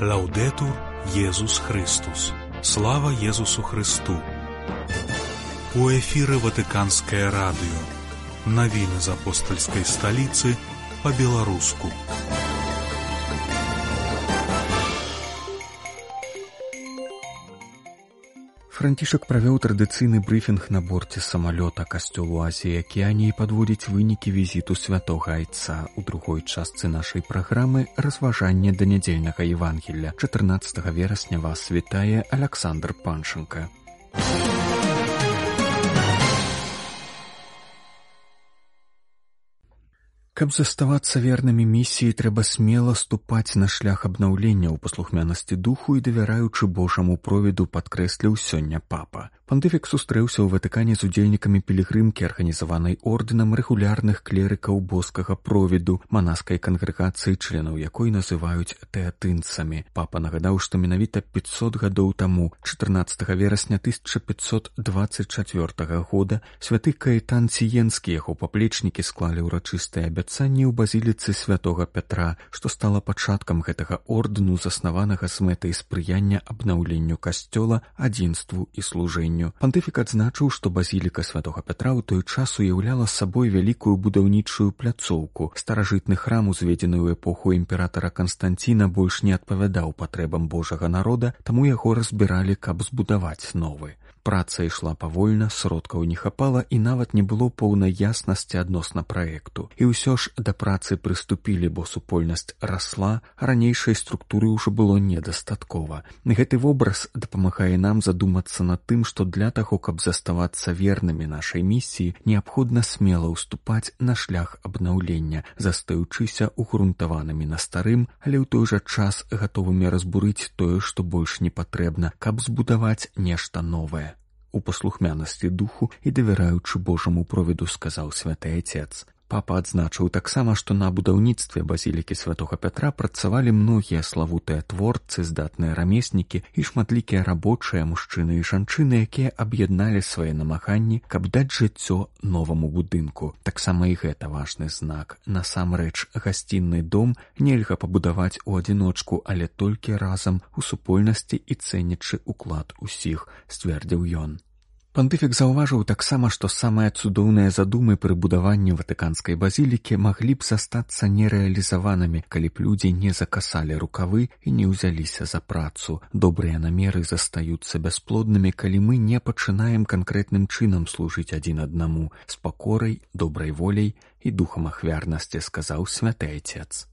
Лаўдэтур Езус Христус. Слава Езусу Христу. У эфіры Ватыканскае радыё. Навіны з апостальскай сталіцы па-беларуску. Францішак правёў традыцыйны брыфінг на борце самалёта касцёлу Азіі Акіяніі і падводзіць вынікі візіту святога айца. У другой частцы нашай праграмы разважанне да нядзельнага Евангелля. 14 верасня вас вітае Аляксандр Панченка. Каб заставацца вернымі місіі, трэба смела ступаць на шлях абнаўлення ў паслухмянасці духу і давяраючы Божаму провіду, падкрэсліў сёння папа. Пантыфік сустрэўся ў Ватыкане з удзельнікамі пілігрымкі, арганізаванай ордэнам рэгулярных клерыкаў боскага провіду, манаскай кангрэгацыі, членаў якой называюць тэатынцамі. Папа нагадаў, што менавіта 500 гадоў таму, 14 верасня 1524 года, святы Каэтан Сіенскі, яго паплечнікі склалі ўрачыстыя абяцанні ў базіліцы святога Пятра, што стала пачаткам гэтага ордэну, заснаванага з мэтай спрыяння абнаўленню касцёла, адзінству і служэнню. Пантыфік адзначыў, што базіліка святога Пятра ў той час уяўляла сабой вялікую будаўнічую пляцоўку. Старажытны храм, узведзены ў эпоху імператара Канстанціна, больш не адпавядаў патрэбам Божага народа, таму яго разбіралі, каб збудаваць новы. Праца ішла павольна, сродкаў не хапала і нават не было поўнай яснасці адносна праекту. І ўсё ж да працы прыступілі, бо супольнасць расла, а ранейшай структуры ўжо было недастаткова. Гэты вобраз дапамагае нам задумацца над тым, што для таго, каб заставацца вернымі нашай місіі, неабходна смела ўступаць на шлях абнаўлення, застаючыся угрунтаванымі на старым, але ў той жа час гатовымі разбурыць тое, што больш не патрэбна, каб збудаваць нешта новае. У паслухмянасці духу і давяраючы Божаму провіду, сказаў святы айцец. Папа адзначыў таксама, што на будаўніцтве базілікі святога Пятра працавалі многія славутыя творцы, здатныя рамеснікі і шматлікія рабочыя, мужчыны і жанчыны, якія аб'ядналі свае намаганні, каб даць жыццё новаму будынку. Таксама і гэта важны знак. Насамрэч, гасцінны дом нельга пабудаваць у адзіночку, але толькі разам, у супольнасці і цэнячы ўклад усіх, сцвердзіў ён. Пантыфік заўважыў таксама, што самыя цудоўныя задумы пры будаванні ватыканскай базілікі маглі б застацца нерэалізаванымі, калі б людзі не закасалі рукавы і не ўзяліся за працу. Добрыя намеры застаюцца бясплоднымі, калі мы не пачынаем канкрэтным чынам служыць адзін аднаму, з пакорай, добрай воляй і духам ахвярнасці, сказаў святы айцец.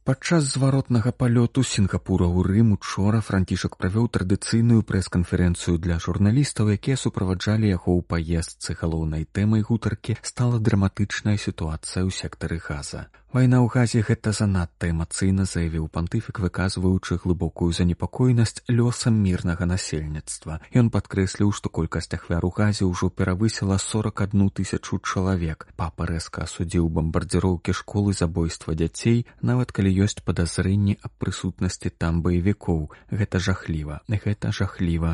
Падчас зваротнага палёту з Сінгапура ў Рым учора Францішак правёў традыцыйную прэс-канферэнцыю для журналістаў, якія суправаджалі яго ў паездцы. Галоўнай тэмай гутаркі стала драматычная сітуацыя ў сектары Газа. Вайна ў Газе — гэта занадта эмацыйна, заявіў пантыфік, выказваючы глыбокую занепакоенасць лёсам мірнага насельніцтва. Ён падкрэсліў, што колькасць ахвяр у Газе ўжо перавысіла 41 000 чалавек. Папа рэзка асудзіў бамбардзіроўкі школ і забойства дзяцей, нават калі ёсць падазрэнні аб прысутнасці там баевікоў. Гэта жахліва,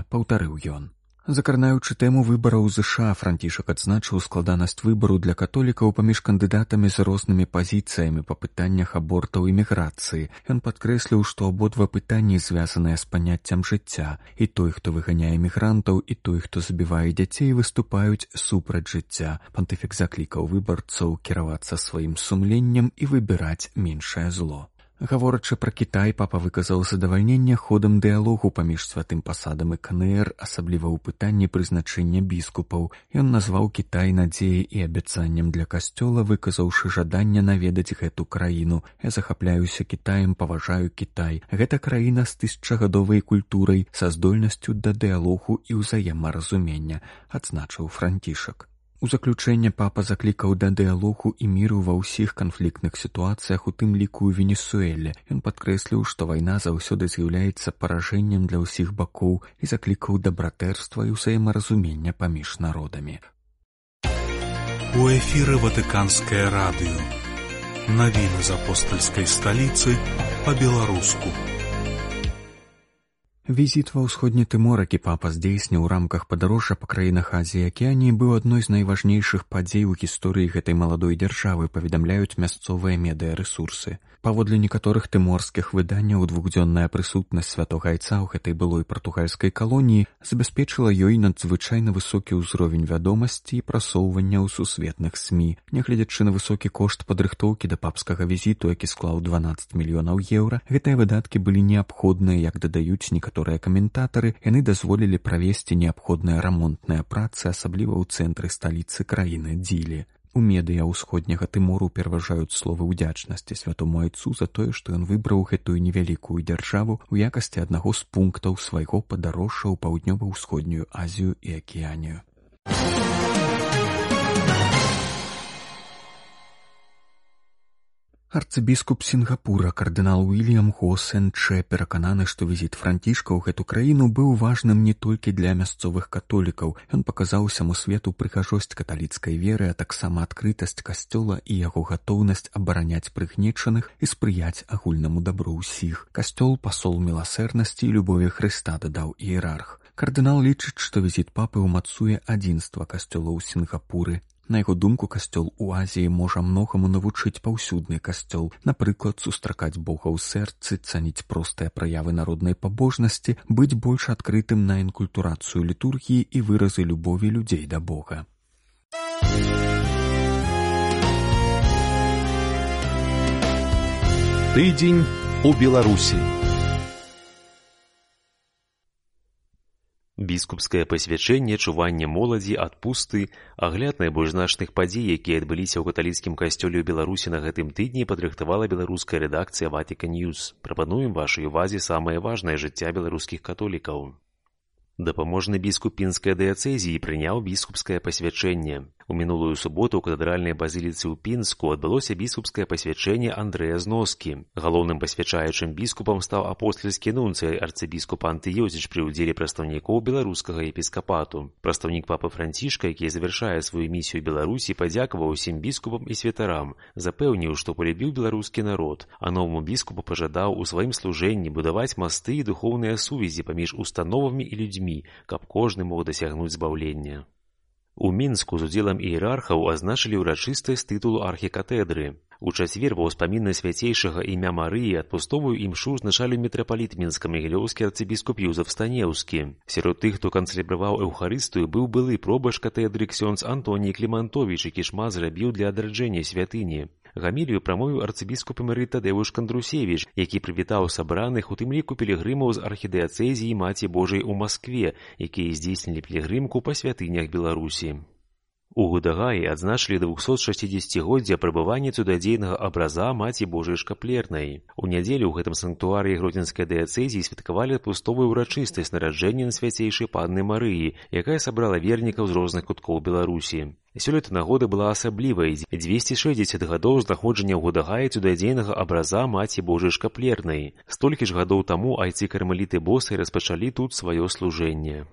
паўтарыў ён. Закранаючы тэму выбараў ЗША, Францішак адзначыў складанасць выбару для католікаў паміж кандыдатамі з рознымі пазіцыямі па пытаннях абортаў і міграцыі. Ён падкрэсліў, што абодва пытанні звязаныя з паняццем жыцця. І той, хто выганяе мігрантаў, і той, хто забівае дзяцей, выступаюць супраць жыцця. Пантыфік заклікаў выбарцаў кіравацца сваім сумленнем і выбіраць меншае зло. Гаворачы пра Кітай, папа выказаў задавальненне ходам дыялогу паміж святым пасадам і КНР, асабліва ў пытанні прызначэння біскупаў. Ён назваў Кітай надзеяй і абяцаннем для касцёла, выказаўшы жаданне наведаць гэту краіну. Я захапляюся Кітаем, паважаю Кітай. Гэта краіна з тысячагадовай культурай, са здольнасцю да дыялогу і ўзаемаразумення, адзначыў Францішак. У заключэнне папа заклікаў да дыялогу і міру ва ўсіх канфліктных сітуацыях, у тым ліку ў Венесуэле. Ён падкрэсліў, што вайна заўсёды з'яўляецца паражэннем для ўсіх бакоў і заклікаў да братэрства і ўзаемаразумення паміж народамі. У эфіры Ватыканскае радыё. Навіны з апостальскай сталіцы па-беларуску. Візіт ва ўсходні Тымор, які папа здзейсніў у рамках падарожжа па краінах Азіі і Акіяніі, быў адной з найважнейшых падзей у гісторыі гэтай маладой дзяржавы, паведамляюць мясцовыя медыярэсурсы. Паводле некаторых тыморскіх выданняў, двухдзённая прысутнасць святога айца ў гэтай былой партугальскай калоніі забяспечыла ёй надзвычайна высокі ўзровень вядомасці і прасоўвання ў сусветных СМІ. Нягледзячы на высокі кошт падрыхтоўкі да папскага візіту, які склаў 12 мільёнаў еўра, гэтыя выдаткі былі неабходныя, як дадаюць некаторыя каментатары, яны дазволілі правесці неабходныя рамонтныя працы, асабліва ў цэнтры сталіцы краіны Дзілі. У медыа ўсходняга Тымору пераважаюць словы ўдзячнасці святому айцу за тое, што ён выбраў гэтую невялікую дзяржаву ў якасці аднаго з пунктаў свайго падарожжа ў паўднёва-ўсходнюю Азію і Акіянію. Арцыбіскуп Сінгапура кардынал Уільям Го Сен Чэ перакананы, што візіт Францішка ў гэту краіну быў важным не толькі для мясцовых католікаў. Ён паказаў усяму свету прыгажосць каталіцкай веры, а таксама адкрытасць касцёла і яго гатоўнасць абараняць прыгнечаных і спрыяць агульнаму дабру ўсіх. Касцёл пасол міласэрнасці і любові Хрыста, дадаў іерарх. Кардынал лічыць, што візіт папы ўмацуе адзінства касцёла ў Сінгапуры. На яго думку, касцёл у Азіі можа многаму навучыць паўсюдны касцёл, напрыклад, сустракаць Бога ў сэрцы, цаніць простыя праявы народнай пабожнасці, быць больш адкрытым на інкультурацыю літургіі і выразы любові людзей да Бога. Тыдзень у Беларусі. Біскупскае пасвячэнне, чуванне моладзі, адпусты, агляд найбольш значных падзей, якія адбыліся ў каталіцкім касцёле ў Беларусі на гэтым тыдні, падрыхтавала беларуская рэдакцыя Vatican News. Прапануем вашай увазе самае важнае жыцця беларускіх католікаў. Дапаможны біскуп пінскай дыяцэзіі прыняў біскупскае пасвячэнне. У мінулую суботу ў катэдральнай базіліцы ў Пінску адбылося біскупскае пасвячэнне Андрэя Зноскі. Галоўным пасвячаючым біскупам стаў апостальскі нунцый арцыбіскуп Антыёзіч пры ўдзеле прадстаўнікоў беларускага епіскапату. Прадстаўнік папы Францішка, які завяршае сваю місію Беларусі, падзякаваў усім біскупам і святарам, запэўніў, што полюбіў беларускі народ, а новаму біскупу пажадаў у сваім служэнні будаваць масты і духоўныя сувязі паміж установамі і людзьмі, каб кожны мог дасягнуць збаўлення. У Мінску з удзелам іерархаў азначылі ўрачыстасць тытулу архікатэдры. У чацвер ва ўспамінна свяцейшага імя Марыі адпустовую імшу ўзначаліў мітрапаліт мінска-магілёўскі арцыбіскуп Юзаф Станеўскі. Сярод тых, хто канцэлябраваў эўхарыстыю, быў былы пробашч катедры ксёндз Антоній Клімантовіч, які шмат зрабіў для адраджэння святыні. Гамілію прамовіў арцыбіскуп эмерыт Тадэвуш Кандрусевіч, які прывітаў сабраных, у тым ліку пілігрымаў з архідыяцэзіі Маці Божай у Маскве, якія здзейснілі пілігрымку па святынях Беларусі. У Гудагаі адзначылі 260-годдзя прабывання цудадзейнага абраза Маці Божай Шкаплернай. У нядзелю ў гэтым санктуарыі гродзенскай дыяцэзіі святкавалі адпустовую ўрачыстасць нараджэння свяцейшай Панны Марыі, якая сабрала вернікаў з розных куткоў Беларусі. Сёлета нагода была асаблівай. 260 гадоў знаходжання ў Гудагаі цудадзейнага абраза Маці Божай Шкаплернай. Столькі ж гадоў таму айцы-кармеліты босай распачалі тут сваё служэнне.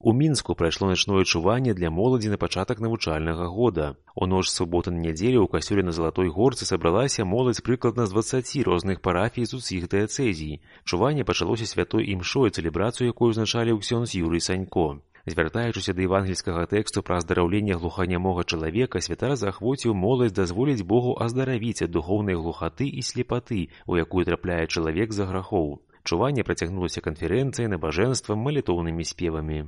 У Мінску прайшло начное чуванне для моладзі на пачатак навучальнага года. У ноч з суботы на нядзелю ў касцёле на Залатой Горцы сабралася моладзь прыкладна з 20 розных парафій з усіх дыяцэзій. Чуванне пачалося святой імшой, цэлебрацыю якой узначаліў ксёндз Юрый Санько. Звяртаючыся да евангельскага тэксту пра аздараўленне глуханямога чалавека, святар заахвоціў моладзь дазволіць Богу аздаравіць ад духоўнай глухаты і слепаты, у якую трапляе чалавек за грахоў. Чуванне працягнулася канферэнцыяй, набажэнствам, малітоўнымі спевамі.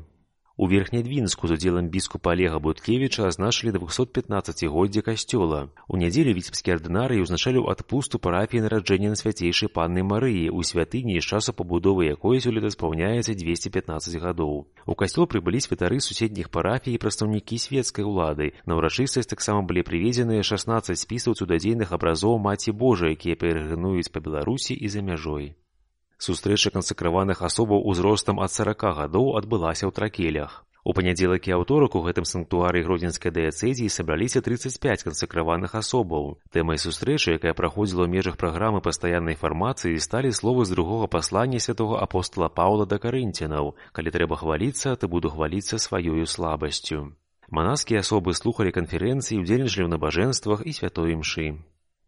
У Верхнядвінску з удзелам біскупа Алега Буткевіча азначылі 215-годдзе касцёла. У нядзелю віцебскі ардынарый узначаліў адпусту парафіі нараджэння свяцейшай Панны Марыі ў святыні, з часу пабудовы якой сёлета спаўняецца 215 гадоў. У касцёл прыбылі святары суседніх парафій і прадстаўнікі свецкай улады. На ўрачыстасць таксама былі прывезеныя 16 спісаў цудадзейных абразоў Маці Божай, якія перагрынуюць па Беларусі і за мяжой. Сустрэча кансакраваных асобаў узростам ад 40 гадоў адбылася ў Тракелях. У панядзелак і аўторак у гэтым санктуарыі гродзенскай дыяцэзіі сабраліся 35 кансакраваных асобаў. Тэмай сустрэчы, якая праходзіла ў межах праграмы пастаяннай фармацыі, сталі словы з другога паслання святога апостола Паўла да карынцянаў: «Калі трэба хваліцца, то буду хваліцца сваёю слабасцю». Манаскія асобы слухалі канферэнцыі, удзельнічалі ў набажэнствах і святой імшы.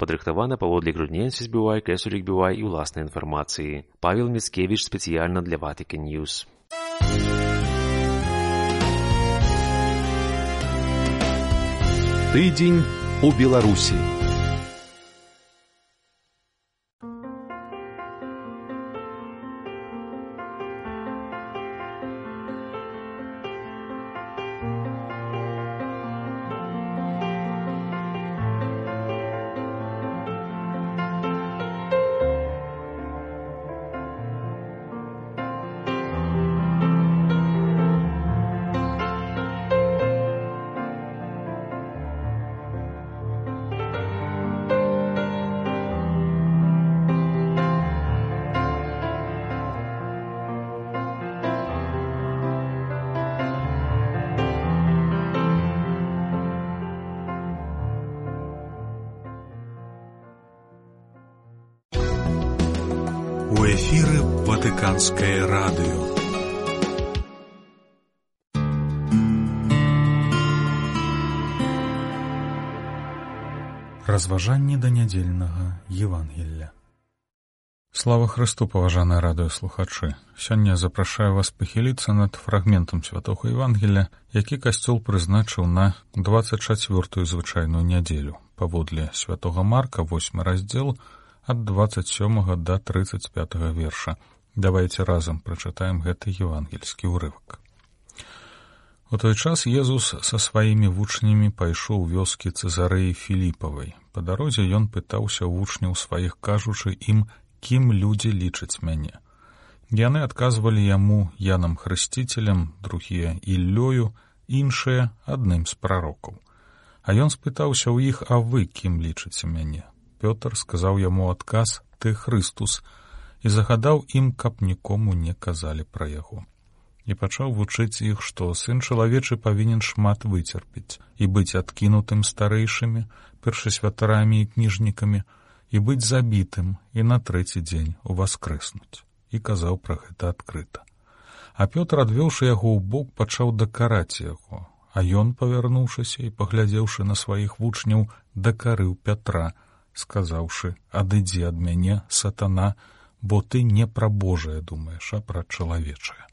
падрыхтавана паводле Грудненсис BY, Кэсулік BY і ўласнай інфармацыі. Павел Міцкевіч спецыяльна для Vatican News. Тыдзень у Беларусі. У эфіры Ватыканскае радыё. Разважанні да нядзельнага Евангелля. Слава Христу, паважаныя радыёслухачы! Сёння запрашаю вас пахіліцца над фрагментам святога Евангелля, які касцёл прызначыў на 24-ю звычайную нядзелю, паводле святога Марка, 8 раздзел, ад 27 до 35 верша. Давайте разам прачытаем гэты евангельскі ўрывак. У той час Езус са сваімі вучнямі пайшоў у вёскі Цэзарэі Філіпавай. Па дарозе ён пытаўся ў вучняў сваіх, кажучы ім, кім людзі лічаць мяне. Яны адказвалі яму Янам Хрысціцелем, другія Іллёю, іншыя адным з прарокаў. А ён спытаўся ў іх, а вы кім лічыце мяне? Пётр сказаў яму адказ, ты Хрыстус, і загадаў ім, каб нікому не казалі пра яго. І пачаў вучыць іх, што сын чалавечы павінен шмат выцерпець і быць адкінутым старэйшымі, першасвятарамі і кніжнікамі, і быць забітым і на трэці дзень уваскрэснуць. І казаў пра гэта адкрыта. А Пётр, адвёўшы яго ў бок, пачаў дакараць яго, а ён, павярнуўшыся і паглядзеўшы на сваіх вучняў, дакарыў Пятра, сказаўшы, адыдзі ад мяне, сатана, бо ты не пра Божае думаеш, а пра чалавечае.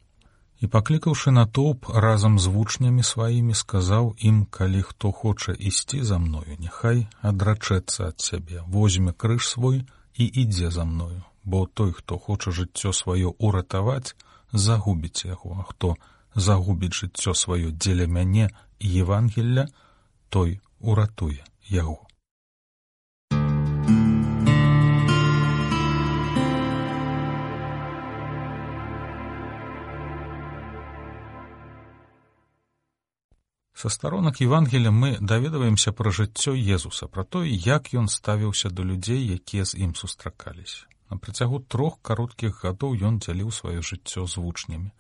І паклікаўшы натоўп разам з вучнямі сваімі, сказаў ім, калі хто хоча ісці за мною, няхай адрачэцца ад сябе, возьме крыж свой і ідзе за мною, бо той, хто хоча жыццё сваё уратаваць, загубіць яго, а хто загубіць жыццё сваё дзеля мяне і Евангелля, той уратуе яго. Са старонак Евангелля мы даведваемся пра жыццё Езуса, пра тое, як ён ставіўся да людзей, якія з ім сустракаліся. На працягу 3 кароткіх гадоў ён дзяліў сваё жыццё з вучнямі.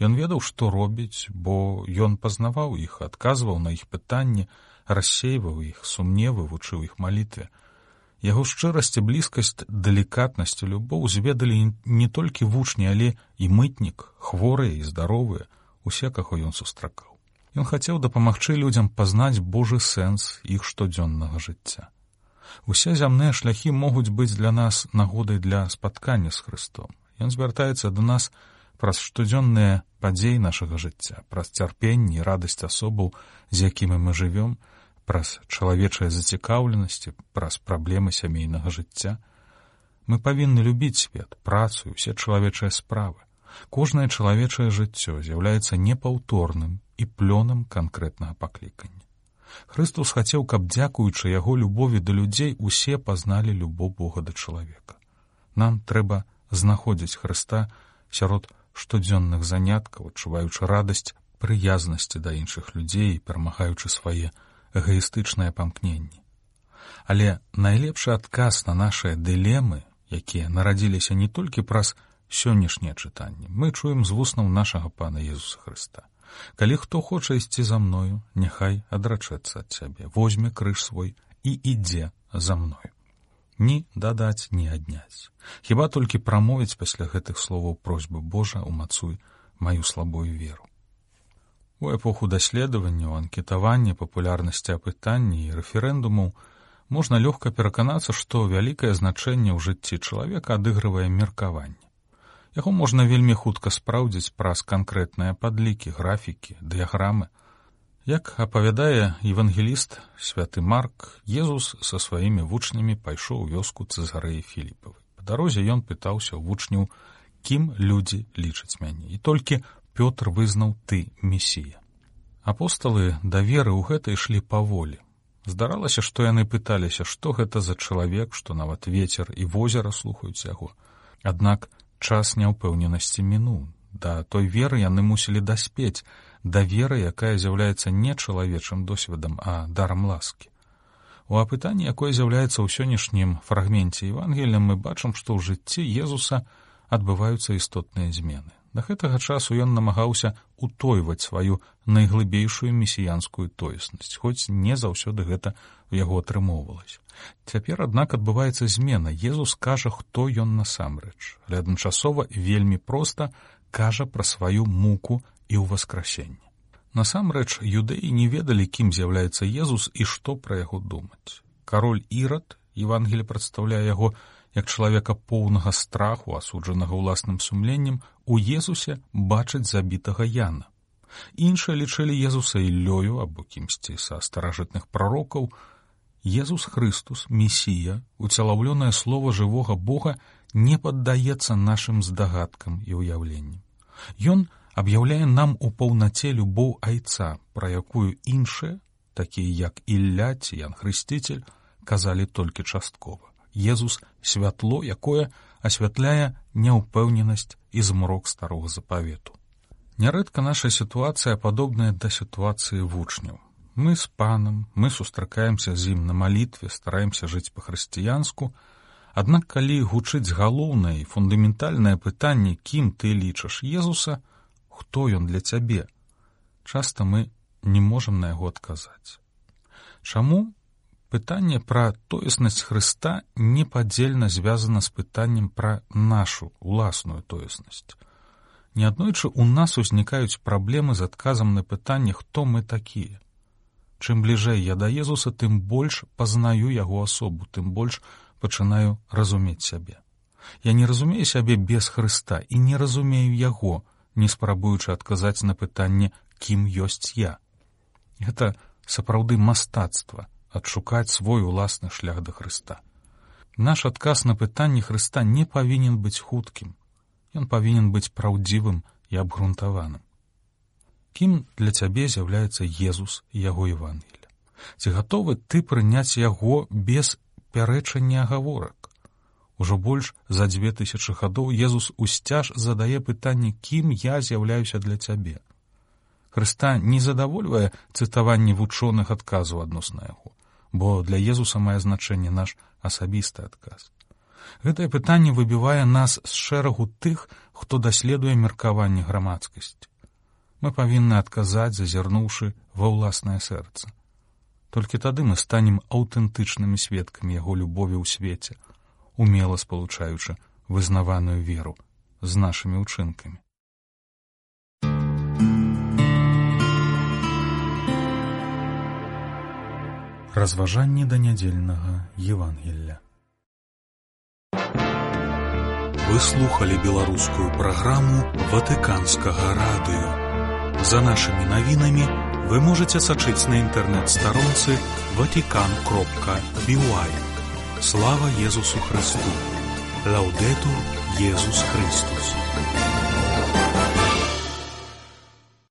Ён ведаў, што робіць, бо ён пазнаваў іх, адказваў на іх пытанні, рассейваў іх сумневы, вучыў іх малітве. Яго шчырасць і блізкасць, далікатнасць і любоў зведалі не толькі вучні, але і мытнік, хворыя і здаровыя, усе, каго ён сустракаў. Ён хацеў дапамагчы людзям пазнаць Божы сэнс іх штодзённага жыцця. Усе зямныя шляхі могуць быць для нас нагодай для спаткання з Хрыстом. Ён звяртаецца да нас праз штодзённыя падзеі нашага жыцця, праз цярпенне і радасць асобаў, з якімі мы жывём, праз чалавечыя зацікаўленасці, праз праблемы сямейнага жыцця. Мы павінны любіць свет, працу і ўсе чалавечыя справы. Кожнае чалавечае жыццё з'яўляецца непаўторным і плёнам канкрэтнага паклікання. Хрыстус хацеў, каб, дзякуючы яго любові да людзей, усе пазналі любоў Бога да чалавека. Нам трэба знаходзіць Хрыста сярод штодзённых заняткаў, адчуваючы радасць прыязнасці да іншых людзей і перамагаючы свае эгаістычныя памкненні. Але найлепшы адказ на нашыя дылемы, якія нарадзіліся не толькі праз сённяшнія чытанні, мы чуем з вуснаў нашага Пана Езуса Хрыста. Калі хто хоча ісці за мною, няхай адрачэцца ад сябе, возьме крыж свой і ідзе за мною. Ні дадаць, ні адняць. Хіба толькі прамовіць пасля гэтых словаў просьбы Божа, умацуй маю слабую веру. У эпоху даследаванняў, анкетавання, папулярнасці апытанні і рэферэндумаў можна лёгка пераканацца, што вялікае значэнне ў жыцці чалавека адыгрывае меркаванне. Яго можна вельмі хутка спраўдзіць праз канкрэтныя падлікі, графікі, дыяграмы. Як апавядае евангеліст святы Марк, Езус са сваімі вучнямі пайшоў у вёску Цэзарэі Філіпавай. Па дарозе ён пытаўся ў вучняў, кім людзі лічаць мяне. І толькі Пётр вызнаў: ты месія. Апосталы да веры ў гэта ішлі паволі. Здаралася, што яны пыталіся, што гэта за чалавек, што нават вецер і возера слухаюць яго. Аднак час няўпэўненасці мінуў. Да той веры яны мусілі даспець, да веры, якая з'яўляецца не чалавечым досведам, а дарам ласкі. У апытанні, якое з'яўляецца ў сённяшнім фрагменце Евангелія, мы бачым, што ў жыцці Езуса адбываюцца істотныя змены. Да гэтага часу ён намагаўся утойваць сваю найглыбейшую месіянскую тоеснасць, хоць не заўсёды гэта ў яго атрымоўвалася. Цяпер, аднак, адбываецца змена. Езус кажа, хто ён насамрэч, але адначасова вельмі проста кажа пра сваю муку і ўваскрасенне. Насамрэч, юдэі не ведалі, кім з'яўляецца Езус і што пра яго думаць. Кароль Ірад, Евангелие прадстаўляе яго як чалавека поўнага страху, асуджанага ўласным сумленнем, у Езусе бачаць забітага Яна. Іншыя лічылі Езуса Іллёю або кімсьці са старажытных прарокаў. Езус Хрыстус, Месія, уцелаўлёнае слова жывога Бога, не паддаецца нашым здагадкам і ўяўленням. Ён аб'яўляе нам у паўнаце любоў Айца, пра якую іншыя, такія як Ілля ці Ян Хрысціцель, казалі толькі часткова. Езус — святло, якое асвятляе няўпэўненасць і змрок старога запавету. Нярэдка наша сітуацыя падобная да сітуацыі вучняў. Мы з панам, мы сустракаемся з ім на малітве, стараемся жыць па-хрысціянску, аднак калі гучыць галоўнае і фундаментальнае пытанне, кім ты лічыш Езуса, хто ён для цябе, часта мы не можам на яго адказаць. Чаму? Пытанне пра тоеснасць Хрыста непадзельна звязана з пытаннем пра нашу уласную тоеснасць. Неаднойчы ў нас узнікаюць праблемы з адказам на пытанне, хто мы такія. Чым бліжэй я да Езуса, тым больш пазнаю яго асобу, тым больш пачынаю разумець сябе. Я не разумею сябе без Хрыста і не разумею яго, не спрабуючы адказаць на пытанне, кім ёсць я. Гэта сапраўды мастацтва — адшукаць свой уласны шлях да Хрыста. Наш адказ на пытанне Хрыста не павінен быць хуткім. Ён павінен быць праўдзівым і абгрунтаваным. Кім для цябе з'яўляецца Езус і яго Евангелие? Ці гатовы ты прыняць яго без пярэчання агаворак? Ужо больш за 2000 гадоў Езус усцяж задае пытанне, кім я з'яўляюся для цябе. Хрыста не задавольвае цытаванне вучоных адказаў адносна яго, бо для Езуса мае значэнне наш асабісты адказ. Гэтае пытанне выбівае нас з шэрагу тых, хто даследуе меркаванне грамадскасці. Мы павінны адказаць, зазірнуўшы ва ўласнае сэрца. Толькі тады мы станем аўтэнтычнымі сведкамі яго любові ў свеце, умела спалучаючы вызнаваную веру з нашымі ўчынкамі. Разважанні да нядзельнага Евангелля. Вы слухали беларускую праграму Ватыканскага радыё. За нашымі навінамі вы можаце сачыць на інтэрнэт-старонцы vatican.by. Слава Езусу Христу! Лаудетур Езус Христус!